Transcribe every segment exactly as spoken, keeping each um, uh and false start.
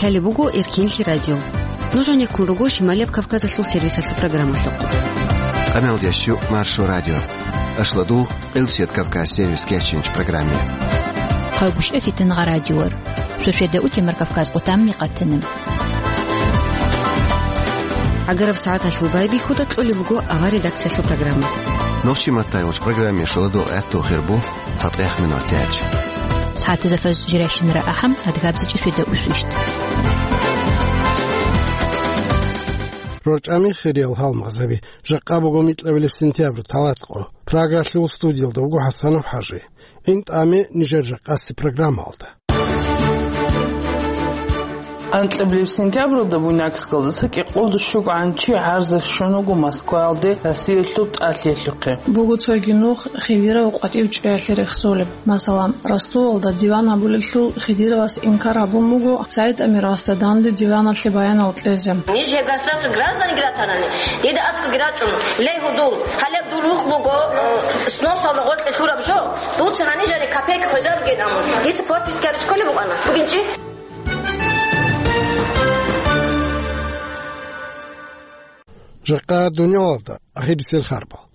Лъалеб буго Эркенлъи радио. Нуж гьанеккун руго Шималияб Кавказалъул сервисалъул программалъухъ. Къамелдящу Маршо радио. Ашладу Элсият Кавказ сервис кечинч программе. Хъалгушев Фитнагъа радиор. Шошеда утемар Кавказ къутамни къатана. Агараб сагӀаталъул байбихьуда кьолеб буго авар редакциялъул программа. Нохчи маттайулч программе шоладу гӀатту хирбу цатӀех минут тяч. СагӀатазда фаз жиращинара ахӀам адгабзичӀи шведа усвищт. РорчӀами хириял гьалмагъзаби. Жакъа буго микьабилеб сентябрь, талатӀкъо. Прагалъул студиялда вуго ХӀасанов ХӀажи. ГӀин тӀаме нижер жакъаси программалда. Анкьабилеб сентябралда Буйнакскалдаса кӀикъолда щугӀан чи гӀарзалъ щун вуго Москваялде Россиялъул тӀалъиялъухъе. Буго цоги нух Хидиров къватӀив чӀеялъе рехсолеб. Масала, Ростовалда диван гьабулелъул Хидировас инкар гьабун буго Саид Амировасда данде диваналъе баянал кьезе. Ниж гьеб государствоялъул гражданин ратанани, дида аскӀоги рачӀун, ле гьудул, гьалеб дур рухъ буго, э, сносалда гъоркье лъураб жо, дуца гьанижани копейка хвезабгин амун. Дица подписка гьабиз кколеб букӀана. Бугин чи? Жакъа дуниялалда ахирисел харбал.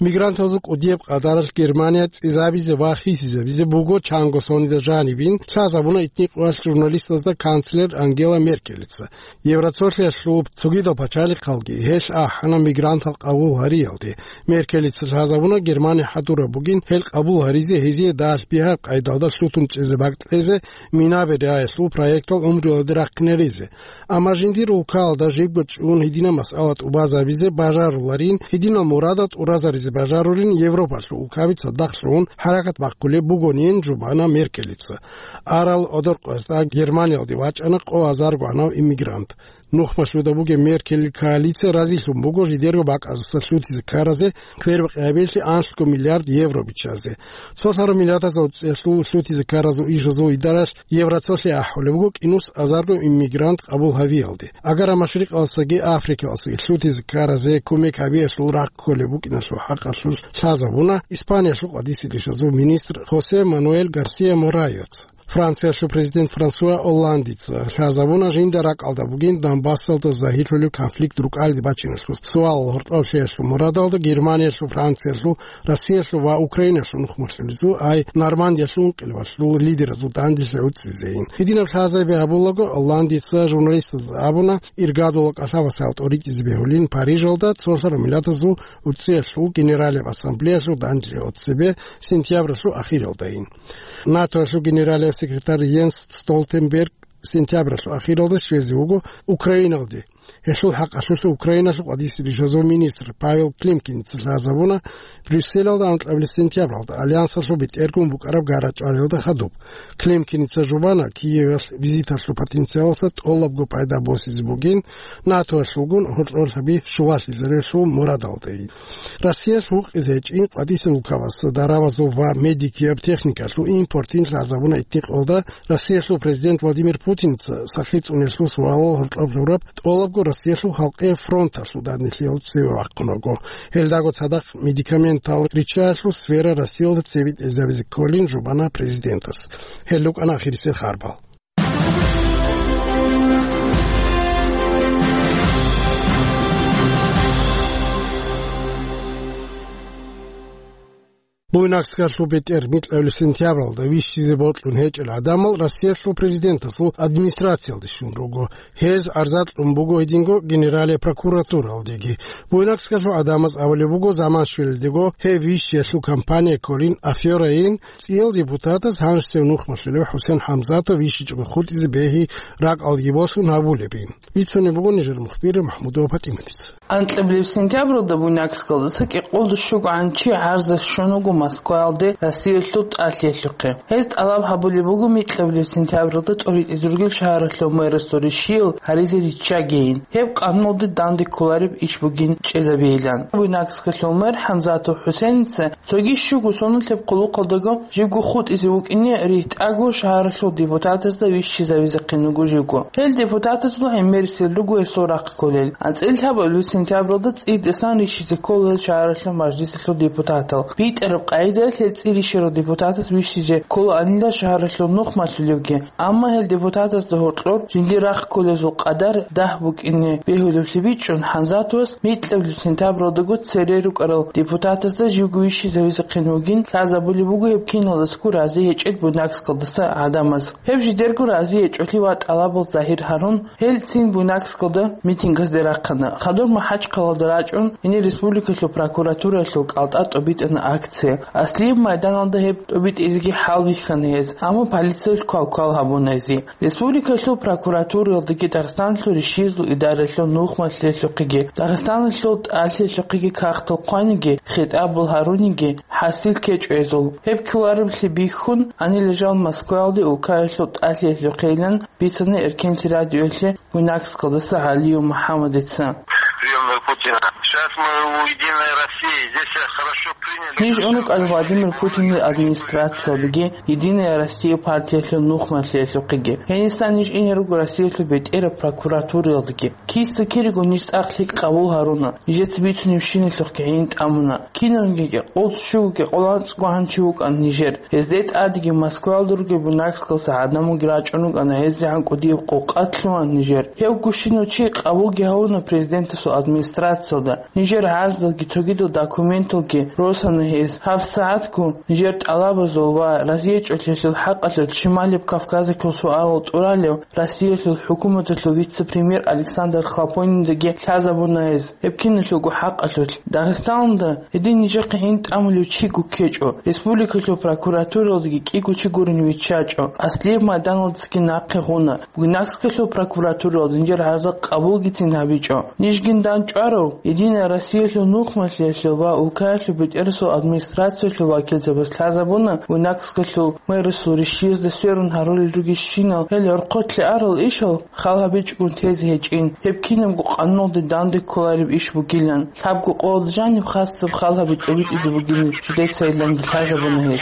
Мигрантазул кӀудияб къадаралъ Германия цӀизабизе ва хисизабизе буго чанго сонида жанибин лъазабуна итникъоялъ журналистазда канцлер Ангела Меркелица. Евроцолъиялъул цогидал пачалихъалги гьелъ ахӀана мигрантал къабул гьариялде. Меркелица лъазабуна Германия хӀадураб бугин гьел къабул гьаризе, гьезие дагьалъ бигьаб къайдалда лъутун чӀезе бакӀ кьезе, минаби раялъул проектал гӀумруялде рахъинаризе. Амма жиндир улкаялда жибго чӀун гьединаб масъала тӀубазабизе бажаруларин, гьединал мурадал тӀуразаризе бажарулин Европалъул улкаби цадахъ лъугьун хӀаракат бахъулеб бугонин, жубана Меркелица. Арал одор къоязда Германиялде вачӀана къо азарго гӀанав иммигрант. Нухмалъуда бугеб Меркелил коалиция разилъун буго жидерго бакӀаздаса лъутизе ккаразе квербакъи гьабиялъе анлъго миллиард евро биччазе. Цолъараб миллиардазул цӀехлъул лъутизе ккаразул ишазул идаралъ Евроцолъи ахӀулеб буго кӀинус азарго иммигрант къабул гьавиялде. Агара Машрикъалдасаги Африкалдасаги лъутизе ккаразе кумек гьабиялъул рахъ кколеб букӀиналъул хӀакъалъулъ лъазабуна Испаниялъул къватӀисел ишазул министр Хосе Мануэль Гарсия Морайос. Франциялъул президент Франсуа Олландица лъазабуна жинда ракӀалда бугин Донбассалда загьирлъулеб конфликт рукӀалде бачиналъул суалал гьоркьоблъиялъул мурадалда Германиялъул, Франциялъул, Россиялъул ва Украиналъул нухмалъулезул, ай Нормандиялъул ункъилабалъул лидеразул данделъи гӀуцӀизейин. Гьединаб лъазаби гьабулаго, Олландица журналистазда абуна, иргадула кӀалъабасал тӀоритӀизе бегьулин Парижалда цолъараб миллатазул ГӀурцӀиялъул Генералияб Ассамблеялъул данделъи цебе сентябралъул ахиралдайин. НАТОялъул генералияб секретарь Йенс Столтенберг сентябралъул ахиралда щвезе вуго Украиналде. Гьелъул хӀакъалъулъ Украиналъул къватӀисел ишазул министр Павел Климкиница лъазабуна Брюсселалда анкьабилеб сентябралда Альянсалъул бетӀергун букӀараб гара-чӀвариялда хадуб. Климкиница жубана Киевалъ визиталъул потенциалалъа тӀолабго пайда босизе бугин, НАТОялъулгун гьоркьорлъаби щулалъизарелъул мурадалдайин. Россиялъ гьукъизе гьечӀин къватӀисел улкабаз дарабазул ва медикияб техникалъул импортин лъазабуна итникъалда Россиялъул президент Владимир Путинца сахлъи цӀуниялъул суалал гьоркьоб гьураб тӀолабго Россиялъул халкъиял фронталъул данделъиялда цеве вахъун вуго. Гьелдаго цадахъ медикаментал риччаялъул сфера Россиялда цеве тӀезабизе кколин жубана президентас. Гьел рукӀана ахирисел харбал. Буйнакскалъул бетӀер микьабилеб сентябралда вищизе бокьун гьечӀел гӀадамал Россиялъул президентасул администрациялде щун руго. Гьез гӀарза кьун буго гьединго Генералияб прокуратуралдеги. Буйнакскалъул гӀадамаз абулеб буго заман щвелалдего гьеб вищиялъул кампания кколин, аферайин, цӀиял депутатас гьанжесев нухмалъулев ХӀусен ХӀамзатов вищичӀого хутӀизе бегьи ракӀалдеги босун гьабулебин. Бицунеб буго нижер мухбир МахӀмудова ПатӀиматица. Анкьабилеб сентябралда Буйнакскалдаса кӀикъолда щугӀан чи гӀарзалъ щун вуго Москваялде Россиялъул тӀалъиялъухъе. Гьез тӀалаб гьабулеб буго микьабилеб сентябралда тӀоритӀизе ругел шагьаралъул мэрасул ришиял гьаризе риччагейин, гьеб къануналде данде кколареб иш бугин чӀезабейилан. Буйнакскалъул мэр ХӀамзатов ХӀусеница цоги щуго соналъеб къулухъалдаго жибго хутӀизе вукӀине ригьтӀаго шагьаралъул депутатазда вищизавизехъин вуго жибго. Гьел депутатазул гӀемерисел руго гьесул рахъ кколел. АнцӀила лъабабилеб Сентябралда цӀийидасан рищизе ккола гьел шагьаралъул мажлисалъул депутатал. БитӀараб къагӀидаялъ гьел цӀи рищарал депутатас вищизе кколаанила шагьаралъул нух малъулевги. Амма гьел депутатазда гьоркьор жиндир рахъ кколезул къадар дагь букӀине бегьулевлъи бичӀчӀун, Ханзатовас микьабилеб сентябралдаго цере рукӀарал депутатазда живго вищизавизехъин вугин лъазабулеб буго гьеб киналдасаго рази гьечӀел Буйнакскалдаса гӀадамаз. Гьеб жидерго рази гьечӀолъи ва тӀалабал загьир гьарун, гьелцин Буйнакскалда митингазде рахъана. Хадур МахӀачхъалалда рачӀун, гьенир республикалъул прокуратураялъул кӀалтӀа тӀобитӀана акция. Аслияб майданалда гьеб тӀобитӀизеги хӀалбихьана гьез, амма полициялъ квалквал гьабуна гьезие. Республикалъул прокуратураялдаги Дагъистаналъул рищиязул идараялъул нух малъиялъухъеги, Дагъистаналъул тӀалъиялъухъеги кагътал хъваниги, хитӀабал гьаруниги хӀасил ккечӀо гьезул. Гьеб кколареблъи бихьун, гьанила жал Москваялде улкаялъул тӀалъиялъухъейилан бицана Эркенлъи радиоялъе Буйнакскалдаса ГӀалиев МухӀаммадица. Приёмный Путина. Сейчас мы у «Единой России». Здесь всех хорошо приняли. Ниж унукӀал Владимир Путинил администрациялдаги, «Единая Россия» партиялъул нух малъиялъухъеги. Гьенисан ниж ине руго Россиялъул бетӀераб прокуратураялдаги. Киса-кирего ниж цӀакъ лъикӀ къабул гьаруна. Нижеца бицунебщиналъухъги гӀин тӀамуна. Кинабниги къолъ щугоги къоланцӀго гьанчи вукӀан нижер. Гьезде тӀадеги Москваялда ругел Буйнакскалдаса гӀадамалги рачӀун рукӀана, гьезегӀан кӀудияб къокъа лъугьана нижер. Гьев гущинав чи къабулги гьавуна президентасул администрациялда. Нижер гӀарзалги цогидал документалги росана гьез. ГьабсагӀатго нижер тӀалабазул ва разиячӀолъиялъул хӀакъалъулъ Шималияб Кавказалъул суалал тӀуралев Россиялъул хӀукуматалъул вице-премьер Александр Хлопониндаги лъазабуна гьез. Гьеб киналъулго хӀакъалъулъ. Дагъистаналда гьедин нижехъе гӀин тӀамулев чиго ккечӀо. Республикалъул прокуратураялдаги кӀиго чи гурин виччачӀо. Аслияб майданалдасаги нахъе гъуна. Буйнакскалъул прокуратураялда нижер гӀарза къабулгицин гьабичӀо. Нижгин дандчӀварав «Единая Россиялъул» нух малъиялъул ва улкаялъул бетӀерасул администрациялъул вакилзабаз лъазабуна Буйнакскалъул мэрасул рищиязда сверун гьарулел ругелщинал гьел гӀорхъолъе арал ишал хал гьабичӀогун тезе гьечӀин, гьеб кинабго къануналде данде кколареб иш бугилан. Лъабго къоялда жаниб хасаб хал гьаби тӀобитӀизе бугин жидеца иланги лъазабуна гьез.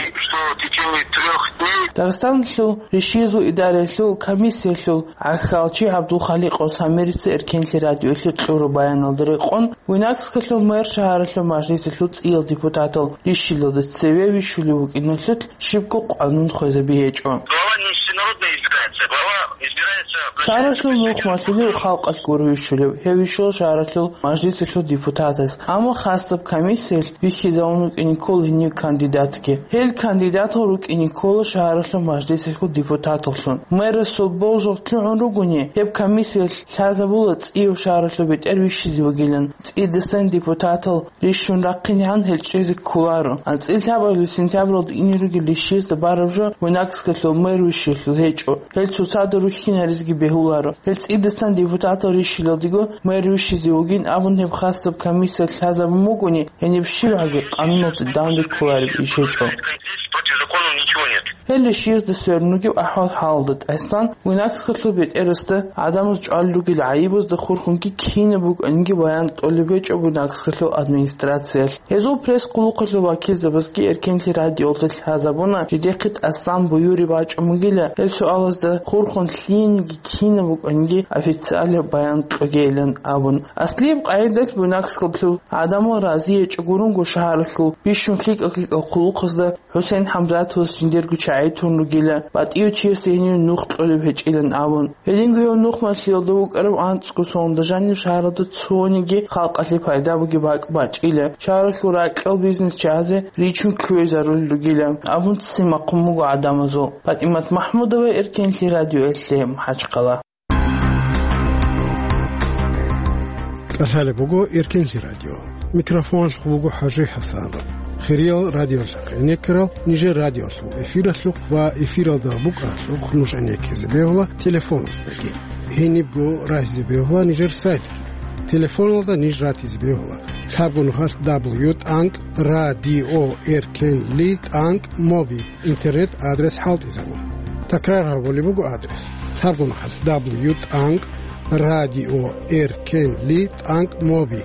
Дагъистаналъул рищиязул идараялъул комиссиялъул гӀахьалчи ГӀабдулхаликъов Самирица Эркенлъи радиоялъе кьураб баяналда рекъон, Буйнакскалъул мэр шагьаралъул мажлисалъул цӀиял депутатал рищилалда цеве вищулев вукӀиналъулъ щибго къанун хвезаби гьечӀо. Глава не всенародно избирается, глава избирается... Шагьаралъул нух малъулев халкъалъ гуро вищулев, гьев вищула шагьаралъул мажлисалъул депутатас. Амма хасаб комиссиялъ вихьизавун вукӀине ккола гьенив кандидатги. Гьел кандидатал рукӀине ккола шагьаралъул мажлисалъул депутаталлъун. Мэрасул болжал лъугӀун ругони, гьеб комиссиялъ лъазабула цӀияв шагьаралъул бетӀер вищизе вугилан. ЦӀидасан депутатал рищун рахъинегӀан гьел чӀезе кколаро. АнцӀила лъабабилеб сентябралда ине ругел рищиязда бараб жо Буйнакскалъул мэр вищиялъул гьечӀо. Гьел цоцазда рухьинаризеги бегьуларо. Гьел цӀидасан депутатал рищилалдего мэр вищизе вугин абун гьеб хасаб комиссиялъ лъазабун бугони, гьениб щибгӀаги къануналде данде кколареб иш гьечӀо. Здесь против закона ничего нет. Гьел рищиязда сверун ругеб ахӀвал-хӀалалда тӀасан Буйнакскалъул бетӀерасда гӀадамаз чӀвалел ругел гӀайибазда хурхунги кинаб букӀаниги баян кьолеб гьечӀо Буйнакскалъул администрациялъ. Гьезул пресс-къулухъалъул вакилзабазги Эркенлъи радиоялда лъазабуна, жидехъе тӀасан буюреб бачӀун бугила, гьел суалазда хурхун лъиениги кинаб букӀаниги официалаб баян кьогейилан абун. Аслияб къагӀидалъ Буйнакскалъул гӀадамал разиячӀо гурунго шагьаралъул бищун лъикӀал-лъикӀал хъулухъазда ХӀусен ХӀамзатовас жиндирго чагӀи тун ругила, батӀияв чиясе гьенив нух кьолеб гьечӀилан абун. Гьединго гьев нух малъиялда вукӀарав анцӀго соналда жанив шагьаралда цониги халкъалъе пайда бугеб бакӀ бачӀила, шагьаралъул ракьал бизнес чагӀазе ричун кквезарулел ругила абун ццин бахъун буго гӀадамазул. ПатӀимат МахӀмудова, Эркенлъи радиоялъе, МахӀачхъала. КӀалъалеб буго Эркенлъи радио. Микрофоналъухъ буго ХӀажи ХӀасанов. Хириял радиолъухъ гӀенеккарал нижер радиолъул эфиралъухъ ва эфиралда букӀаралъухъ нуж гӀенеккизе бегьула телефоназдаги. Гьенибго рагьизе бегьула нижер сайтги. Телефоналда ниж ратизе бегьула: лъабго нухалъ дабл ю тӀанкӀ радио эркенли тӀанкӀ моби. Интернет-адрес хӀалтӀизабун. Такрар гьабулеб буго адрес: лъабго нухалъ дабл ю тӀанкӀ радио эркенли тӀанкӀ моби.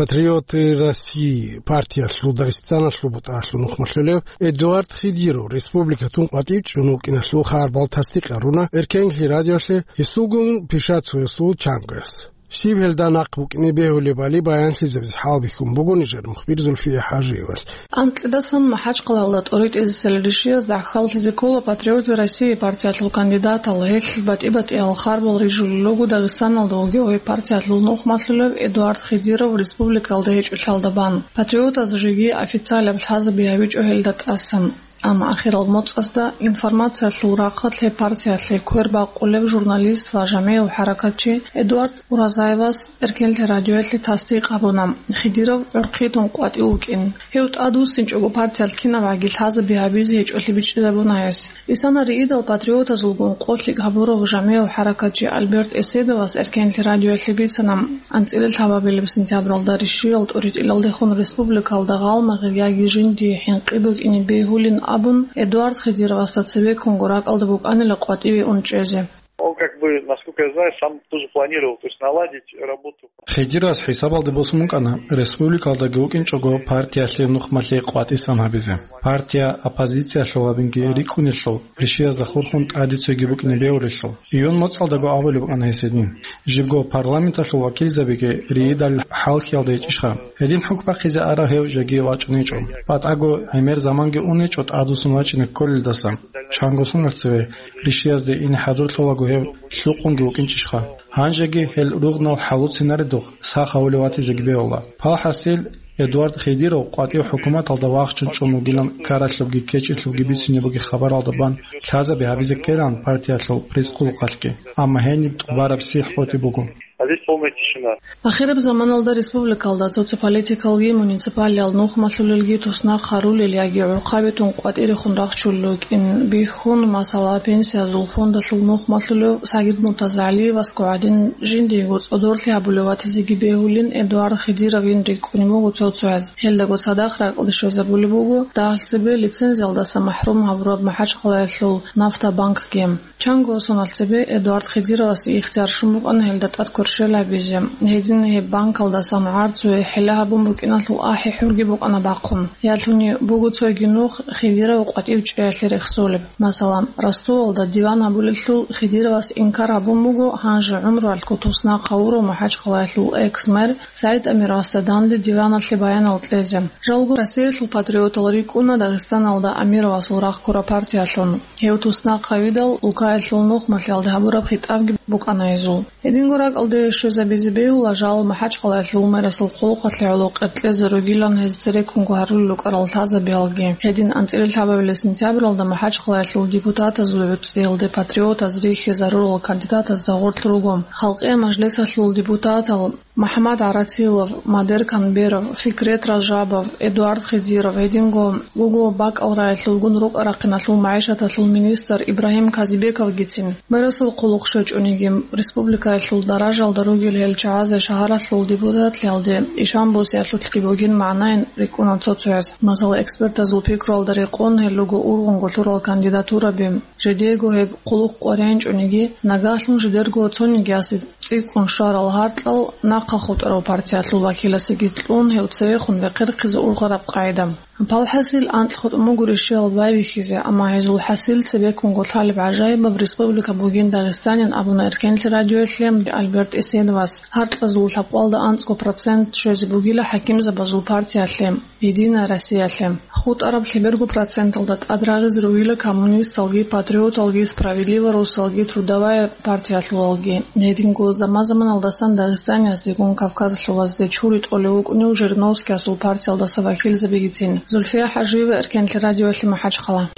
«Патриоты России» партиялъул Дагъистаналъул бутӀаялъул нухмалъулев Эдуард Хидиров республикатун къватӀив чӀун вукӀиналъул хабарал тасдикъ гьаруна Эркенлъи радиоялъе гьесулгун пишацоясул чангояс. Щиб гьелда нахъ букӀине бегьулебали баянлъизабизе хӀалбихьун буго нижер мухбир Зульфия ХӀажиевалъ. Анкьидасан МахӀачхъалаялда тӀоритӀизесел ришиязда хьаллъизе ккола «Патриоты России» партиялъул кандидатал, гьелъ батӀи-батӀиял харбал рижулел руго Дагъистаналда вугев гьеб партиялъул нухмалъулев Эдуард Хидиров республикалда гьечӀолъиялда бан. Патриотаз жеги официалаб лъазаби гьабичӀо гьелда тӀасан. Амма ахирал моцӀазда информациялъул рахъалъ гьеб партиялъе квер бакъулев журналист ва жамигӀав хӀаракатчи Эдуард Уразаевас Эркенлъи радиоялъе тасдикъ гьабуна, Хидиров гӀурхъи тун къватӀив вукӀин. Гьев тӀадвуссинчӀого партиялъ кинабгӀаги лъазаби гьабизе гьечӀолъи бичӀчӀизабуна гьес. Исана риидал патриотазулгун къо-лъикӀ гьабурав жамигӀав хӀаракатчи Альберт Эседовас Эркенлъи радиоялъе бицана, анцӀила лъабабилеб сентябралда ришиял тӀоритӀилалдехун республикалда гъалмагъир яги жиндие хӀинкъи букӀине бегьулин абун, Эдуард Хидировасда цебеккунго ракӀалда букӀанила къватӀиве ун чӀезе. Он, как бы, насколько я знаю, сам тоже планировал, то есть наладить работу. Хидировас хӀисабалде босун вукӀана республикалдаги вукӀинчӀого партиялъе нухмалъе къватӀисан гьабизе. Партия оппозициялъул гьабинги рикӀкӀунелъул, ришиязда хурхун тӀаде цойги букӀине бегьулелъул. Июнь моцӀалдаго абулеб букӀана гьес гьедин. Жибго парламенталъул вакилзабиги риидал хӀалхьиялда гьечӀищха? Гьедин хӀухь бахъизе арав гьев жеги вачӀунечӀо. БатӀаго гӀемер заманги унечӀо тӀадвуссун вачӀине кколелдаса. Чанго соналъ цеве ришиязде ине хӀадурлъулаго гьев лъукъунги вукӀинчӀищха? Гьанжеги гьел ругънал хӀалуцинаредухъ сах гьавулев ватизеги бегьула. Палхасил Эдуард Хидиров къватӀив хӀукуматалда вахчун чӀун вугилан ккаралъубги кечӀелъубги бицине бугеб хабаралда бан лъазаби гьабизе ккелан партиялъул пресс-къулухъалъги, амма гьениб тӀубараб сихӀ къотӀи буго. А здесь полная тишина. Ахираб заманалда республикалда социополитикалги муниципалиял нухмалъулелги туснахъ гьарулел яги гӀурхъаби тун къватӀирехун рахчулел рукӀин бихьун, масала, пенсиязул фондалъул нухмалъулев Сагид МуртазагӀалиевасго гӀадин жиндиего цӀодорлъи гьабулев ватизеги бегьулин Эдуард Хидировин рикӀкӀунеб буго цо-цояз. Гьелдаго цадахъ ракӀалде щвезабулеб буго дагьалъ цебе лицензиялдаса махӀрум гьабураб МахӀачхъалаялъул Нафтабанкги. Чанго соналъ цебе Эдуард Хидировасе ихтияр щун букӀана гьелда тӀад кверщел гьабизе. Гьедин гьеб банкалдасан гӀарцуе хӀила гьабун букӀиналъул ахӀи-хӀурги букӀана бахъун. Ялъуни буго цойги нух Хидиров къватӀив чӀеялъе рехсолеб. Масала, Ростовалда диван гьабулелъул Хидировас инкар гьабун буго гьанже гӀумруялъго туснахъ гьавурав МахӀачхъалаялъул экс-мэр СагӀид Амировасда данде диваналъе баянал кьезе. Жалго Россиялъул патриотал рикӀкӀуна Дагъистаналда Амировасул рагъ ккураб партиялъун. Гьев туснахъ гьавидал, улкаялъул нухмалъиялде гьабураб хитӀабги букӀана гьезул. Гьединго ракӀалде щвезабизе бегьула жал МахӀачхъалаялъул мэрасул хъулухъалъе гӀоло къеркьезе ругилан гьез цереккунго гьарулел рукӀарал лъазабиялги. Гьедин анцӀила лъабабилеб сентябралда МахӀачхъалаялъул депутатазул гӀуцӀиялде патриотаз рихьизарурал кандидатазда гъорлъ руго. Халкъиял мажлисалъул депутатал МахӀмад ГӀаратилов, Мадер Канберов, Фикрет Ражабов, Эдуард Хидиров, гьединго буго бакӀал рагӀилъулгун рукӀа-рахъиналъул магӀишаталъул министр Ибрагьим Казибековгицин. Мэрасул хъулухъ щвечӀониги, республикаялъул даражалда ругел гьел чагӀазе шагьаралъул депутатлъиялде ишан босиялъулъги бугин магӀнайин рикӀкӀуна цо-цояз. Масала, экспертазул пикруялда рекъон гьел руго ургъунго лъурал кандидатураби. Жидеего гьеб хъулухъ къваригӀинчӀониги, нагагьлъун жидерго цониги асе цӀикӀкӀун щварал гьаркьал нахъа хутӀарав партиялъул вакиласеги кьун, гьев цевехун вехъерхъизе ургъараб къагӀида. Палхасил анкьго тӀамугури щел байбихьизе, амма гьезул хӀасил цебеккунго лъалеб гӀажаибаб республика бугин Дагъистанин абуна Эркенлъи радиоялъе Альберт Эседовас. Гьаркьазул лъабкъалда анцӀго процент щвезе бугила хӀакимзабазул партиялъе. Единая Россиялъе. ХутӀараб лъеберго проценталда тӀад рагъизе ругила коммунисталги, патриоталги, Справедливая Руссалги, Трудовая партиялъулалги. Гьединго заман-заманалдасан Дагъистанияздегун Кавказалъулазде чури тӀолев вукӀунев Жириновскиясул партиялдаса вакилзабигицин. Зульфия ХӀажиева, Эркенлъи радиоялъе, МахӀачхъала.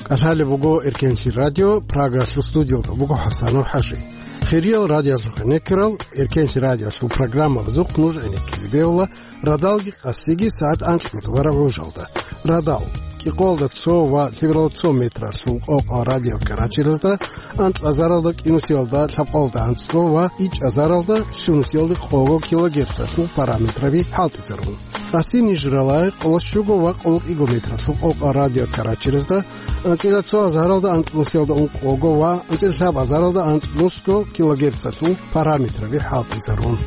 КӀалъалеб буго Эркенлъи радио, Прагалъул студиялда буго ХӀасанов ХӀажи. Хириял радиоялъухъе некерал, Эркенлъи радиоялъул программабазухъ нуж гӀенеккизе бегьула радалги къасиги сагӀат анкьго тӀубараб гӀужалда. Радал. кӀикъоялда цо ва лъебералда цо метралъул къокъал радиокаратеразда, анкьазаралда кӀинусиялда лъабкъоялда анцӀго ва ичӀазаралда щунусиялда къого килогерцалъул параметраби хӀалтӀизарун. Къасси нижералай къоло щуго ва къоло кӀиго метралъул къокъал радиокаратеразда, анцӀила цо азаралда анкьнусиялда ункъого ва анцӀила лъаб азаралда анкьнусго килогерцалъул параметраби хӀалтӀизарун.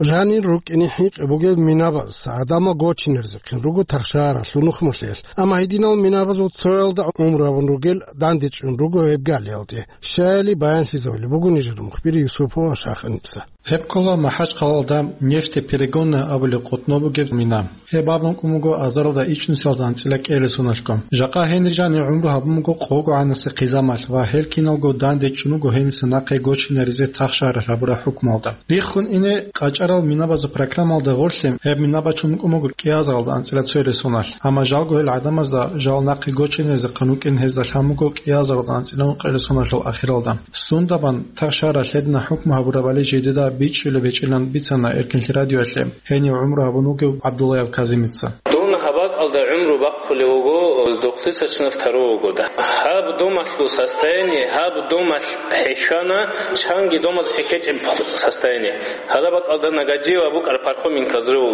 Жанир рукӀине хӀинкъи бугел минабаз гӀадамал гочинаризехъин руго тахшаралъул нухмалъиялъ, амма гьединал минабазул цоялда гӀумру гьабун ругел дандечӀун руго гьеб галиялде. Щаяли баянлъизабулеб буго нижер мухбир Юсупова Шаханица. Гьеб ккола МахӀачхъалалда нефтеперегонная абулеб къотӀно бугеб мина. Гьеб абун кӀун буго азаралда ичӀнусиялда анцӀила кӀиго соналъго. Жакъа гьенир жанир гӀумру гьабун буго къого гӀанасе хъизамалъ ва гьел киналго дандечӀун руго гьениса нахъе гочинаризе тахшаралъ гьабураб хӀукмуялда. Риххун ине къачӀарал минабазул программалда гъорлъе гьеб мина бачун букӀун буго кӀиазаралда анцӀила цоялда соналъ, амма жалго гьел гӀадамазда жал нахъе гочинезехъан вукӀин гьезда лъан буго кӀиазаралда анцӀила ункъоялда соналъул ахиралда. Сундабан тахшаралъ гьедина хӀукму гьабурабали жидеда бичӀчӀулеб гьечӀилан бицана Эркинлъи радиоялъе гьенив гӀумру гьабун вугев ГӀабдуллаев Казимица. Дун гьаб бакӀалда гӀумру бахъулев вуго дохлисачнав таро вугода. Гьаб домалъул состояние, гьаб домалъ хӀехьана, чанги домаз хӀехьечӀеб состояние. Гьадаб бакӀалда Нагадиева букӀараб Пархоменко взрыв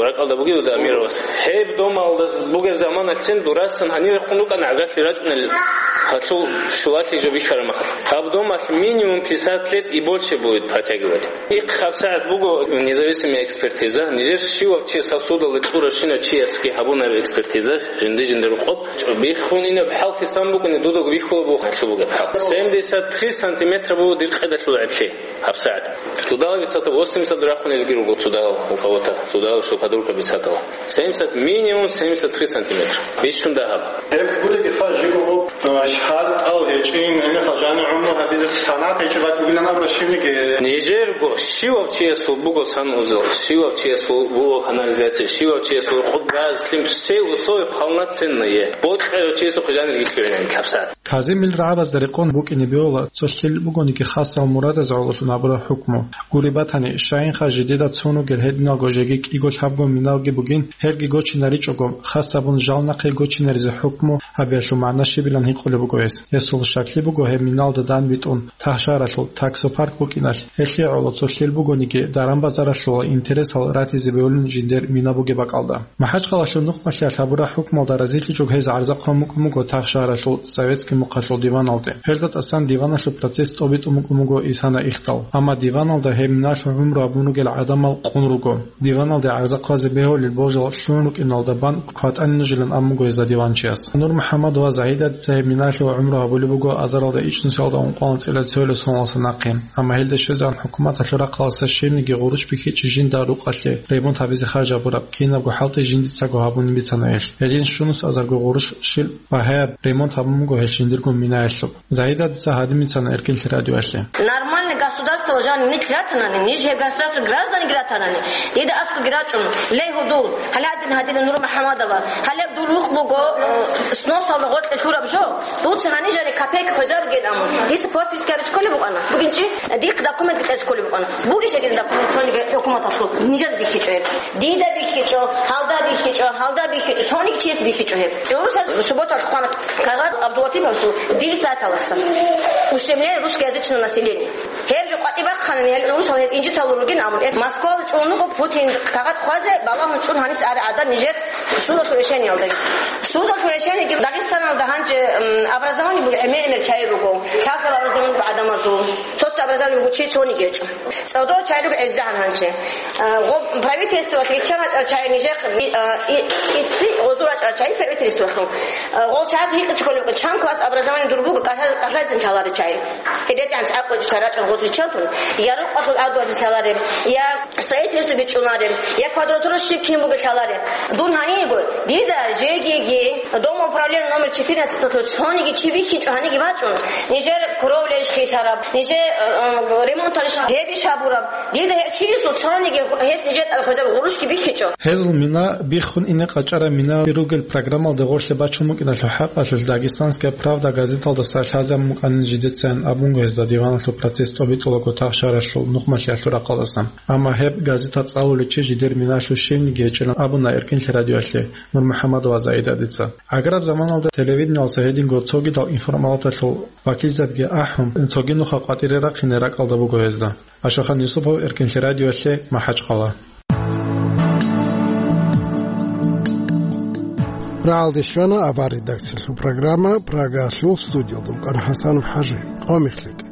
ракӀалда бугевуда Амировас. Гьеб домалдаз бугеб заманалъцин дурасан гьанирехун рукӀана гӀагарлъи рачӀунел гьалъул щулалъи жо бихьараб махалъ. Гьаб домалъ минимум пятьдесят лет и больше будет протягивать. Ихъ гьабсагӀат буго независимая экспертиза. Нижер щивав чи сосудалда кьурав щинав чиясги гьабунаб экспертиза, жинди-жиндир рукъоб. Биххунинаб хӀал хисан букӀине дудуг бихьула буго гьалъул бугеб хӀал. Семьдесят три сантиметра буго дир къедалъул гӀеблъи. ГьабсагӀат. Цудала бицатал восемьдесят рахунелги руго цудала у кого-то. Цудала щупадурка бицатала. Семьдесят, минимум семьдесят три сантиметра. Бищун дагьаб. Гьеб гудаги хъа жиго, э, шагьар тӀал гьечӀин, гьебмехалъ жанир гӀумру гьабизе санат гьечӀеб бакӀ бугилан абула щибниги. Нижерго, щивав чиясул буго санузел, щивав чиясул буго канализация, щивав чиясул хъуб, газ, лъим, все условия полноценные. Бокьарав чиясухъе жанир гьелъугӀинани гьабсагӀат. Казимил рагӀабазда рекъон букӀине бегьула цо лъил бугониги хасал мурадаз гӀололъун гьабураб хӀукму. Гури батани, щайинха жидеда цун ругел гьединалго жеги кӀиго-лъабго миналги бугин, гьелги гочинаричӀого, хас абун жал нахъе гочинаризе хӀукму гьабиялъул магӀна щибилан гьикъулеб буго гьес. Гьесул щаклъи буго гьеб миналда данбитӀун, тахшаралъул, таксопарк букӀиналъ, гьелъие гӀоло цо лъил бугониги, даран-базаралъул интересал ратизе бегьулин жиндер мина бугеб бакӀалда. МахӀачхъалалъул нухмалъиялъ гьабураб хӀукмалда разилъичӀого гьез гӀарзахъун букӀун буго тахшаралъул советский мухъалъул диваналде. Гьелда тӀасан диваналъул процесс тӀобитӀун букӀун буго исана ихтал. Амма диваналда гьеб миналъул гӀумру гьабун ругел гӀадамал къун руго. Диваналде гӀарзахъазе бегьулел божал лъун рукӀиналда бан кватӀани нужилан абун буго гьезда диванчияс. Нур МухӀаммад ва Загьидадица гьеб миналъул гӀумру гьабулеб буго азаралда ичӀнусиялда ункъоялда анцӀила цоялда соналдаса нахъе. Амма гьелда щвезегӀан хӀукуматалъул рахъалдаса щибниги гъурущ бихьичӀеб жинда рукъалъе ремонт гьабизе харж гьабураб, кинабго хӀалтӀи жиндицаго гьабунин бицана гьелъ. Гьедин щунус азарго гъурущ щил багьаяб ремонт гьабун буго гьел жиндирго минаялъул. Загьидадица гьадин бицана Эркинлъи радиоялъе. Нормальный государство жанир нилъ ратанани, ниж гьеб государство гражданин ратанани, дида аскӀоги рачӀун, ле гьудул, гьале гьадин гьадина Нур МухӀаммадова, гьале дур рукъ буго, э, сносалда гъоркье лъураб жо, дуца гьанижани копейка хвезабугин амун. Дица подписка гьабизе кколеб букӀана. Бугин чи? Дихъ документ кьезе кколеб букӀана. Бугищ гьедин документ цониги хӀукуматалъул? Нижеда бихьичӀо гьеб. Дида бихьичӀо, гьалда бихьичӀо, гьалда бихьичӀо, цониги чияс бихьичӀо гьеб. ГӀурусаз субботалъ хъвана кагъат Абдулатиповасул дирисаталаса. Ущемление русскоязычного населения. Гьеб жо къватӀибахъанани гьел гӀурусал гьез инжиталур ругин амун. Э, Москвала чӀун руго Путин кагъат хъвазе, балагьун чӀун гьанис ари гӀадан нижер судалъул решениялда. Судалъул решениеги Дагъистаналда гьанже, м, образование буго, гӀемер-гӀемер чагӀи руго. Лъабкъаб образование буго гӀадамазул. Цо-цо образование буго чи цониги гьечӀо. ЦӀодо чагӀи руго гӀезегӀан гьанже. Э, гъо-, правительствоялъ риччан рачӀарал чагӀи нижехъ, э, и, исси гъозу рачӀарал чагӀи правительствоялъул. Э, гъол чагӀи гьикъизе кколеб, чан класс образование дур буго, кӀалъа-, кӀалъайцин лъаларел чагӀи. ГьедетӀан цӀакъ чагӀи рачӀун гъоз риччантун, я рукъалъул гӀадуялъе лъалареб, я строительство бичӀчӀунареб, я квадратура щиб кин бугеб лъалареб. Дун гьаниего, дида жеги Дом управления номер четырнадцать цониги чи бихьичӀо гьаниги бачӀун, нижер кровля иш хисараб, нижер, э, э, ремонт гьабураб. Дида гьев чиясул цониги гьес нижер тӀад хвезаб гъурущги бихьичӀо. Гьезул мина биххун ине къачӀараб мина ругел программалда гъорлъе бачун букӀиналъул хӀакъалъулъ «Дагестанская правда» газеталдаса лъазабун букӀанин жидецайин абунго гьезда диваналъул процесс тӀобитӀулаго тахшаралъул нухмалъиялъул рахъалдасан. Амма гьеб газета цӀалулев чи жидер миналъул щивниги гьечӀилан абуна Эркинлъи радиоялъе Нурмухьамадова Заидатица. Аграб заманалда телевидениялдаса гьединго цогидал информалаталъул вакилзабиги ахӀун, цоги нуха къватӀире рахъине ракӀалда буго гьезда. Ашахан Юсупов, Эркинлъи радиоялъе, МахӀачхъала. Рагьалде щвана авар редакциялъул программа, Прагалъул студиялда вукӀана ХӀасанов ХӀажи. Къо мехлъи.